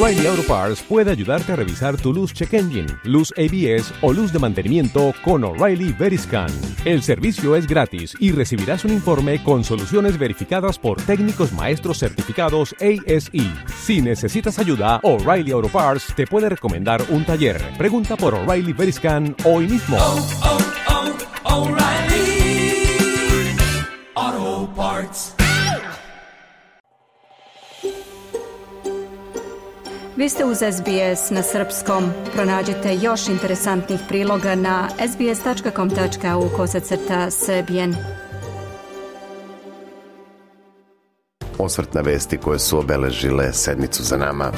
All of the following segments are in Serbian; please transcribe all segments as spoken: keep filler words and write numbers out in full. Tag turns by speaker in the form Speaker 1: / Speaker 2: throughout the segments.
Speaker 1: O'Reilly Auto Parts puede ayudarte a revisar tu luz check engine, luz A B S o luz de mantenimiento con O'Reilly Veriscan. El servicio es gratis y recibirás un informe con soluciones verificadas por técnicos maestros certificados A S E. Si necesitas ayuda, O'Reilly Auto Parts te puede recomendar un taller. Pregunta por O'Reilly Veriscan hoy mismo.
Speaker 2: Oh, oh, oh, O'Reilly Auto Parts.
Speaker 3: Vi ste uz S B S na srpskom. Pronađite još interesantnih priloga na sbs.com.au kosacrta srbijen.
Speaker 4: Osvrt na vesti koje su obeležile sedmicu za nama.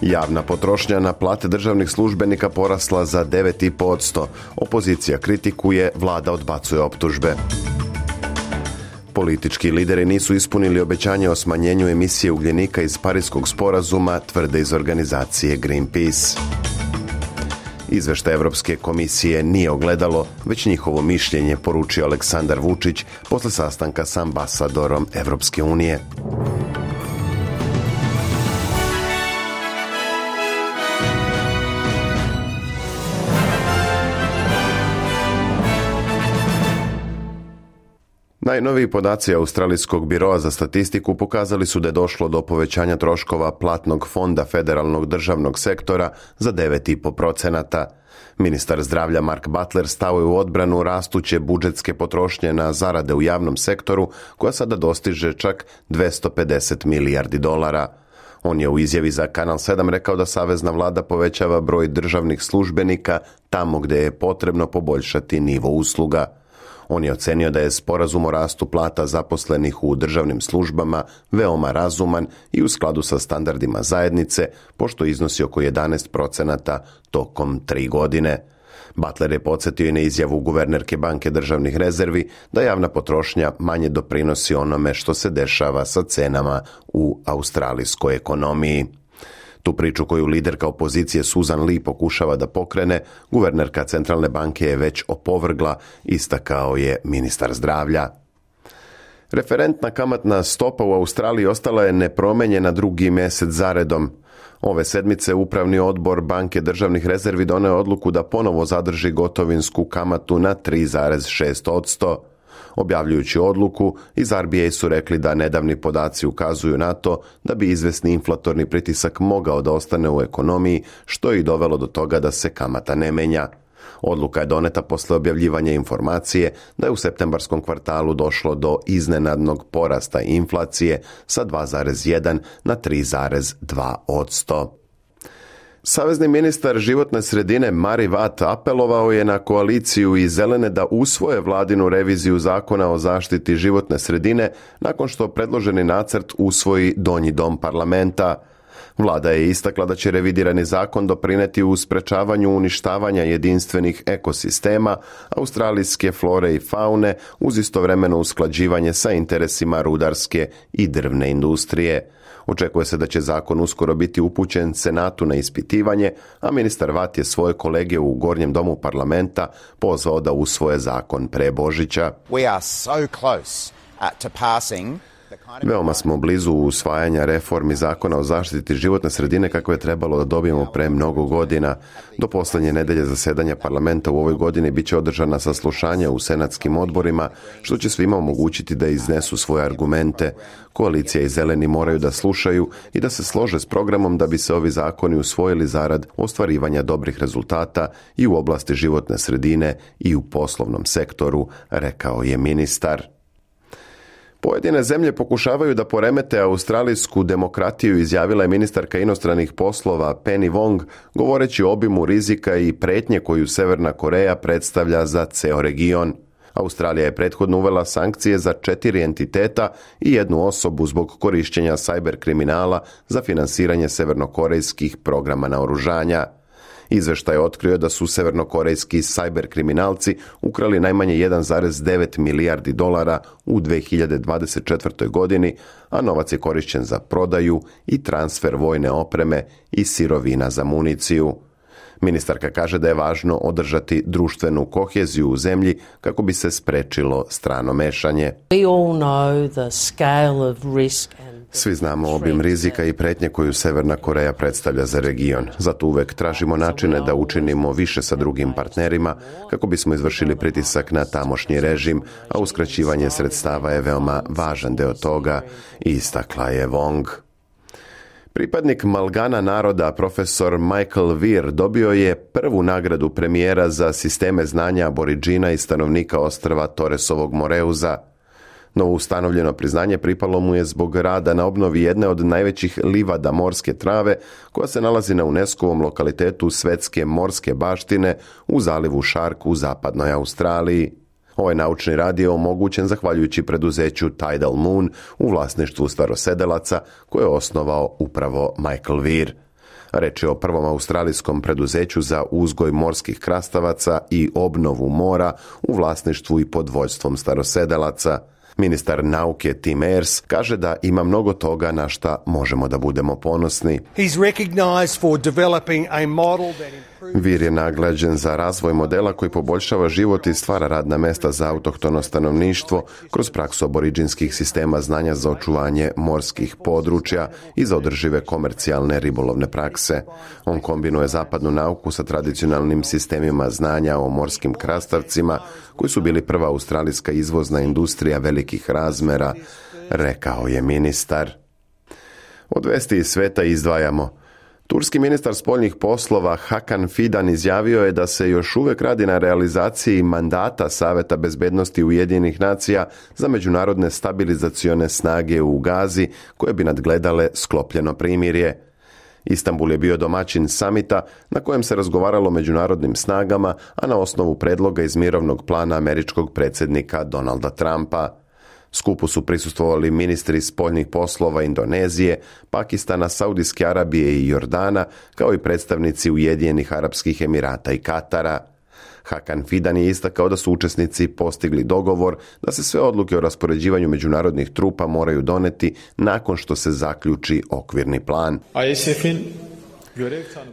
Speaker 4: Javna potrošnja na plate državnih službenika porasla za devet zarez pet posto. Opozicija kritikuje, vlada odbacuje optužbe. Politički lideri nisu ispunili obećanje o smanjenju emisije ugljenika iz Pariskog sporazuma, tvrde iz organizacije Greenpeace. Izveštaj Evropske komisije nije ogledalo, već njihovo mišljenje, poručio Aleksandar Vučić posle sastanka s ambasadorom Evropske unije. Najnoviji podaci Australijskog biroa za statistiku pokazali su da je došlo do povećanja troškova platnog fonda federalnog državnog sektora za devet zarez pet posto. Ministar zdravlja Mark Butler stao je u odbranu rastuće budžetske potrošnje na zarade u javnom sektoru, koja sada dostiže čak dvesta pedeset milijardi dolara. On je u izjavi za Kanal sedam rekao da savezna vlada povećava broj državnih službenika tamo gdje je potrebno poboljšati nivo usluga. On je ocenio da je sporazum o rastu plata zaposlenih u državnim službama veoma razuman i u skladu sa standardima zajednice, pošto iznosi oko jedanaest procenata tokom tri godine. Butler je podsjetio i na izjavu guvernerke Banke državnih rezervi da javna potrošnja manje doprinosi onome što se dešava sa cenama u australijskoj ekonomiji. Tu priču koju liderka opozicije Susan Lee pokušava da pokrene, guvernerka centralne banke je već opovrgla, istakao je ministar zdravlja. Referentna kamatna stopa u Australiji ostala je nepromenjena drugi mjesec zaredom. Ove sedmice Upravni odbor Banke državnih rezervi doneo odluku da ponovo zadrži gotovinsku kamatu na tri zarez šest posto. Objavljujući odluku, iz R B A su rekli da nedavni podaci ukazuju na to da bi izvesni inflatorni pritisak mogao da ostane u ekonomiji, što je i dovelo do toga da se kamata ne menja. Odluka je doneta posle objavljivanja informacije da je u septembarskom kvartalu došlo do iznenadnog porasta inflacije sa dva zarez jedan na tri zarez dva posto. Savezni ministar životne sredine Mari Watt apelovao je na koaliciju i zelene da usvoje vladinu reviziju zakona o zaštiti životne sredine nakon što predloženi nacrt usvoji donji dom parlamenta. Vlada je istakla da će revidirani zakon doprineti u sprečavanju uništavanja jedinstvenih ekosistema, australijske flore i faune, uz istovremeno usklađivanje sa interesima rudarske i drvne industrije. Očekuje se da će zakon uskoro biti upućen Senatu na ispitivanje, a ministar Watt je svoje kolege u Gornjem domu parlamenta pozvao da usvoje zakon pre Božića.
Speaker 5: We are so close uh, to passing.
Speaker 4: Veoma smo blizu usvajanja reformi zakona o zaštiti životne sredine kako je trebalo da dobijemo pre mnogo godina. Do posljednje nedelje zasedanja parlamenta u ovoj godini bit će održana saslušanja u senatskim odborima, što će svima omogućiti da iznesu svoje argumente. Koalicija i zeleni moraju da slušaju i da se slože s programom da bi se ovi zakoni usvojili zarad ostvarivanja dobrih rezultata i u oblasti životne sredine i u poslovnom sektoru, rekao je ministar. Pojedine zemlje pokušavaju da poremete australijsku demokratiju, izjavila je ministarka inostranih poslova Penny Wong, govoreći o obimu rizika i pretnje koju Severna Koreja predstavlja za ceo region. Australija je prethodno uvela sankcije za četiri entiteta i jednu osobu zbog korišćenja sajber kriminala za finansiranje severnokorejskih programa naoružanja. Izveštaj je otkrio da su severnokorejski sajber kriminalci ukrali najmanje jedan zarez devet milijardi dolara u dve hiljade dvadeset četvrtoj. godini, a novac je korišćen za prodaju i transfer vojne opreme i sirovina za municiju. Ministarka kaže da je važno održati društvenu koheziju u zemlji kako bi se sprečilo strano mešanje. Svi znamo obim rizika i pretnje koju Severna Koreja predstavlja za region. Zato uvek tražimo načine da učinimo više sa drugim partnerima kako bismo izvršili pritisak na tamošnji režim, a uskraćivanje sredstava je veoma važan deo toga, istakla je Wong. Pripadnik Malgana naroda, profesor Michael Weir, dobio je prvu nagradu premijera za sisteme znanja aboriđina i stanovnika ostrva Torresovog Moreuza. Novo ustanovljeno priznanje pripalo mu je zbog rada na obnovi jedne od najvećih livada morske trave, koja se nalazi na UNESCO-ovom lokalitetu svetske morske baštine u zalivu Shark u zapadnoj Australiji. Ovaj naučni rad je omogućen zahvaljujući preduzeću Tidal Moon u vlasništvu starosedelaca koje je osnovao upravo Michael Weir. Reč je o prvom australijskom preduzeću za uzgoj morskih krastavaca i obnovu mora u vlasništvu i pod vođstvom starosedelaca. Ministar nauke Tim Ayres kaže da ima mnogo toga na šta možemo da budemo ponosni. Weir je nagrađen za razvoj modela koji poboljšava život i stvara radna mesta za autohtono stanovništvo kroz praksu aboriđinskih sistema znanja za očuvanje morskih područja i za održive komercijalne ribolovne prakse. On kombinuje zapadnu nauku sa tradicionalnim sistemima znanja o morskim krastavcima, koji su bili prva australijska izvozna industrija velikih razmera, rekao je ministar. Od vesti iz sveta izdvajamo. Turski ministar spoljnih poslova Hakan Fidan izjavio je da se još uvek radi na realizaciji mandata Saveta bezbednosti Ujedinjenih nacija za međunarodne stabilizacione snage u Gazi koje bi nadgledale sklopljeno primirje. Istanbul je bio domaćin samita na kojem se razgovaralo o međunarodnim snagama, a na osnovu predloga iz mirovnog plana američkog predsjednika Donalda Trumpa. Skupu su prisustvovali ministri spoljnih poslova Indonezije, Pakistana, Saudijske Arabije i Jordana, kao i predstavnici Ujedinjenih Arapskih Emirata i Katara. Hakan Fidan je istakao da su učesnici postigli dogovor da se sve odluke o raspoređivanju međunarodnih trupa moraju doneti nakon što se zaključi okvirni plan.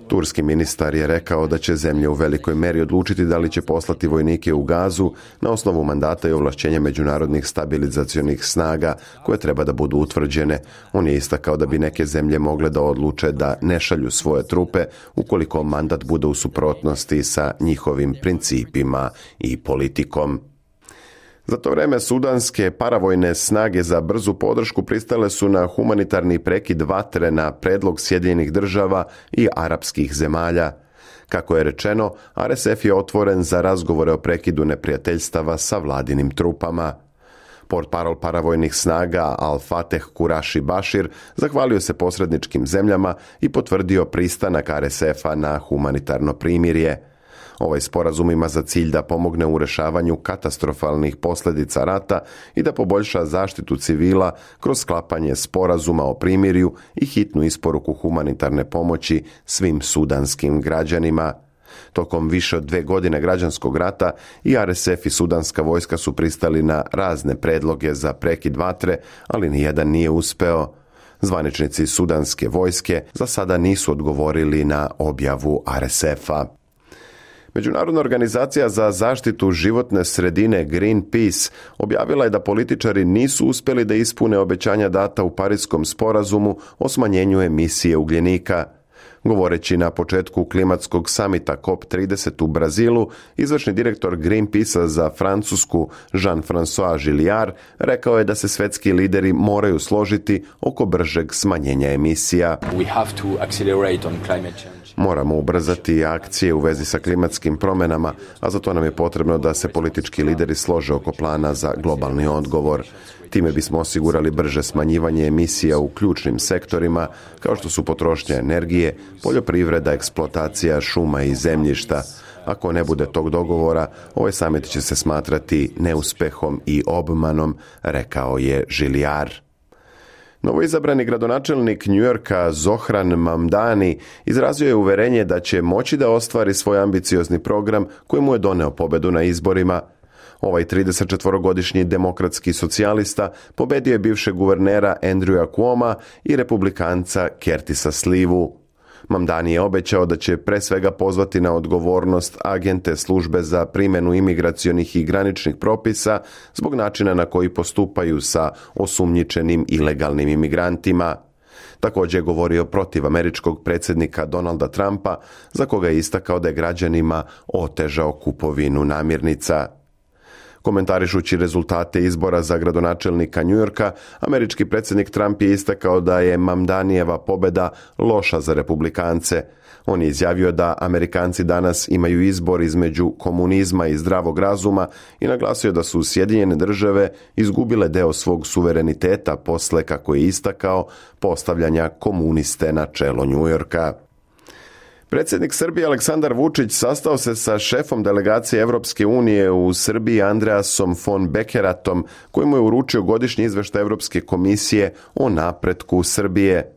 Speaker 4: Turski ministar je rekao da će zemlje u velikoj meri odlučiti da li će poslati vojnike u Gazu na osnovu mandata i ovlašćenja međunarodnih stabilizacionih snaga koje treba da budu utvrđene. On je istakao da bi neke zemlje mogle da odluče da ne šalju svoje trupe ukoliko mandat bude u suprotnosti sa njihovim principima i politikom. Za to vreme sudanske paravojne snage za brzu podršku pristale su na humanitarni prekid vatre na predlog Sjedinjenih država i arapskih zemalja. Kako je rečeno, R S F je otvoren za razgovore o prekidu neprijateljstava sa vladinim trupama. Portparol paravojnih snaga Al-Fateh Kuraši Bashir zahvalio se posredničkim zemljama i potvrdio pristanak R S F-a na humanitarno primirje. Ovaj sporazum ima za cilj da pomogne u rešavanju katastrofalnih posljedica rata i da poboljša zaštitu civila kroz sklapanje sporazuma o primirju i hitnu isporuku humanitarne pomoći svim sudanskim građanima. Tokom više od dve godine građanskog rata i R S F i sudanska vojska su pristali na razne predloge za prekid vatre, ali nijedan nije uspeo. Zvaničnici sudanske vojske za sada nisu odgovorili na objavu R S F-a. Međunarodna organizacija za zaštitu životne sredine Greenpeace objavila je da političari nisu uspjeli da ispune obećanja data u Pariskom sporazumu o smanjenju emisije ugljenika. Govoreći na početku klimatskog samita C O P trideset u Brazilu, izvršni direktor Greenpeace-a za Francusku Jean-François Gilliard rekao je da se svetski lideri moraju složiti oko bržeg smanjenja emisija.
Speaker 6: We have to accelerate on climate change.
Speaker 4: Moramo ubrzati akcije u vezi sa klimatskim promjenama, a za to nam je potrebno da se politički lideri slože oko plana za globalni odgovor. Time bismo osigurali brže smanjivanje emisija u ključnim sektorima, kao što su potrošnja energije, poljoprivreda, eksploatacija šuma i zemljišta. Ako ne bude tog dogovora, ovaj samit će se smatrati neuspehom i obmanom, rekao je Gilliard. Novoizabrani gradonačelnik New Yorka Zohran Mamdani izrazio je uverenje da će moći da ostvari svoj ambiciozni program koji mu je doneo pobedu na izborima. Ovaj tridesetčetvorogodišnji demokratski socijalista pobedio je bivšeg guvernera Andrewa Cuoma i republikanca Curtisa Slivu. Mamdani je obećao da će pre svega pozvati na odgovornost agente službe za primjenu imigracionih i graničnih propisa zbog načina na koji postupaju sa osumnjičenim ilegalnim imigrantima. Također je govorio protiv američkog predsjednika Donalda Trumpa, za koga je istakao da je građanima otežao kupovinu namirnica. Komentarišući rezultate izbora za gradonačelnika Njujorka, američki predsjednik Trump je istakao da je Mamdanijeva pobjeda loša za republikance. On je izjavio da Amerikanci danas imaju izbor između komunizma i zdravog razuma i naglasio da su Sjedinjene države izgubile deo svog suvereniteta posle, kako je istakao, postavljanja komuniste na čelo Njujorka. Predsjednik Srbije Aleksandar Vučić sastao se sa šefom delegacije Evropske unije u Srbiji Andreasom von Bekeratom, koji mu je uručio godišnji izveštaj Evropske komisije o napretku Srbije.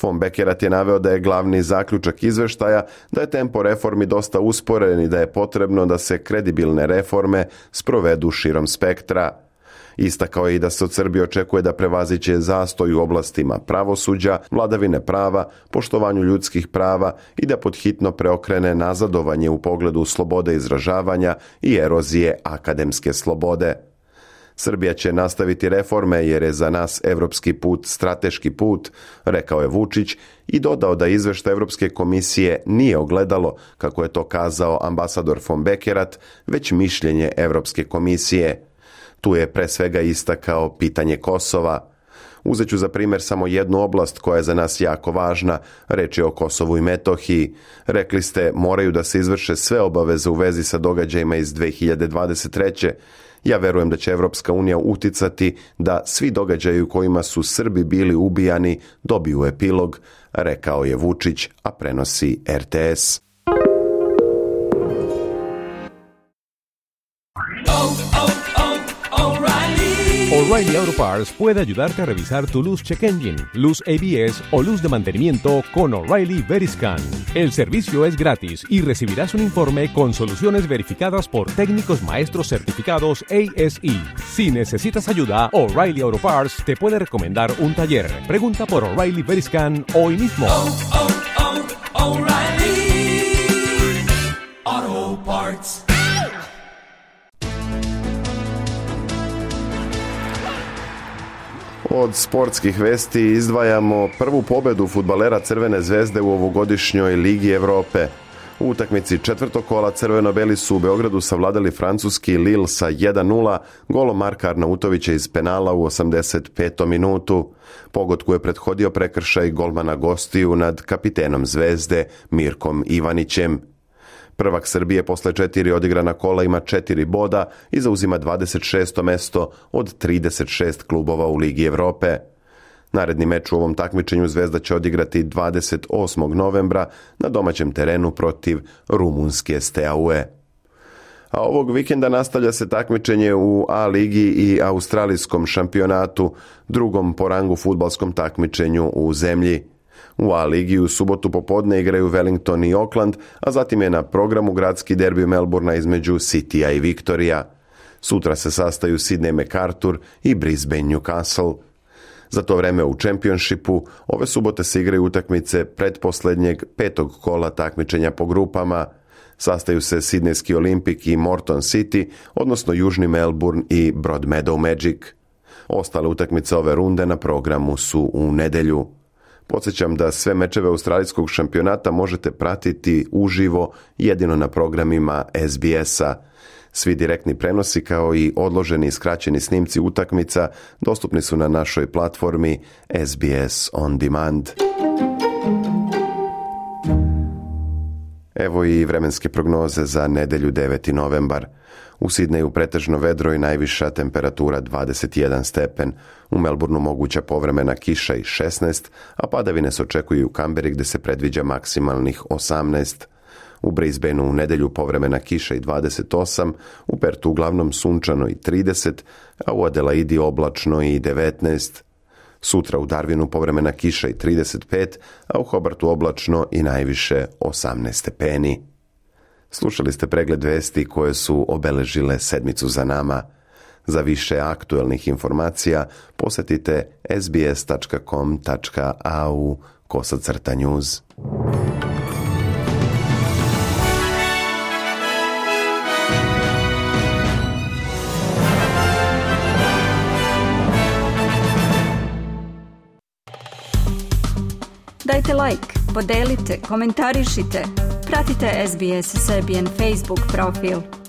Speaker 4: Von Bekerat je naveo da je glavni zaključak izveštaja da je tempo reformi dosta usporen i da je potrebno da se kredibilne reforme sprovedu širom spektra. Istakao je i da se od Srbije očekuje da prevaziće zastoj u oblastima pravosuđa, vladavine prava, poštovanju ljudskih prava i da podhitno preokrene nazadovanje u pogledu slobode izražavanja i erozije akademske slobode. Srbija će nastaviti reforme jer je za nas evropski put strateški put, rekao je Vučić i dodao da izveštaj Evropske komisije nije ogledalo, kako je to kazao ambasador von Bekerat, već mišljenje Evropske komisije. Tu je pre svega istakao pitanje Kosova. Uzet ću za primjer samo jednu oblast koja je za nas jako važna, reč je o Kosovu i Metohiji. Rekli ste, moraju da se izvrše sve obaveze u vezi sa događajima iz dve hiljade dvadeset treće. Ja verujem da će Evropska unija uticati da svi događaji u kojima su Srbi bili ubijani dobiju epilog, rekao je Vučić, a prenosi R T S.
Speaker 1: O'Reilly Auto Parts puede ayudarte a revisar tu luz check engine, luz A B S o luz de mantenimiento con O'Reilly Veriscan. El servicio es gratis y recibirás un informe con soluciones verificadas por técnicos maestros certificados A S E. Si necesitas ayuda, O'Reilly Auto Parts te puede recomendar un taller. Pregunta por O'Reilly Veriscan hoy mismo.
Speaker 2: Oh, oh, oh, O'Reilly Auto Parts.
Speaker 4: Od sportskih vesti izdvajamo prvu pobjedu fudbalera Crvene zvezde u ovogodišnjoj Ligi Evrope. U utakmici četvrtog kola crveno-beli su u Beogradu savladali francuski Lille sa jedan nula, golom Marka Arnautovića iz penala u osamdeset petom minutu. Pogodku je prethodio prekršaj golmana gostiju nad kapitenom Zvezde Mirkom Ivanićem. Prvak Srbije posle četiri odigrana kola ima četiri boda i zauzima dvadeset šesto mesto od trideset šest klubova u Ligi Evrope. Naredni meč u ovom takmičenju Zvezda će odigrati dvadeset osmog novembra na domaćem terenu protiv rumunske Steaue. A ovog vikenda nastavlja se takmičenje u A ligi i australijskom šampionatu, drugom po rangu fudbalskom takmičenju u zemlji. U A ligi u subotu popodne igraju Wellington i Auckland, a zatim je na programu gradski derbi Melbourna između Citya i Victorija. Sutra se sastaju Sydney MacArthur i Brisbane Newcastle. Za to vreme u Championshipu ove subote se igraju utakmice pretposlednjeg petog kola takmičenja po grupama. Sastaju se Sidnejski Olimpik i Morton City, odnosno Južni Melbourne i Broadmeadow Magic. Ostale utakmice ove runde na programu su u nedelju. Podsjećam da sve mečeve australijskog šampionata možete pratiti uživo jedino na programima S B S-a. Svi direktni prenosi kao i odloženi i skraćeni snimci utakmica dostupni su na našoj platformi S B S On Demand. Evo i vremenske prognoze za nedelju deveti novembar. U Sidneju pretežno vedro i najviša temperatura dvadeset jedan stepen. U Melbourneu moguća povremena kiša i šesnaest, a padavine se očekuju u Kamberi gde se predviđa maksimalnih osamnaest. U Brisbaneu u nedelju povremena kiša i dvadeset osam, u Pertu uglavnom sunčano i trideset, a u Adelaidi oblačno i devetnaest. Sutra u Darwinu povremena kiša i trideset pet, a u Hobartu oblačno i najviše osamnaest stepeni. Slušali ste pregled vesti koje su obeležile sedmicu za nama. Za više aktuelnih informacija posetite s b s tačka com tačka a u kosacrta news.
Speaker 3: Dajte like, podelite, komentarišite, pratite S B S Serbian Facebook profil.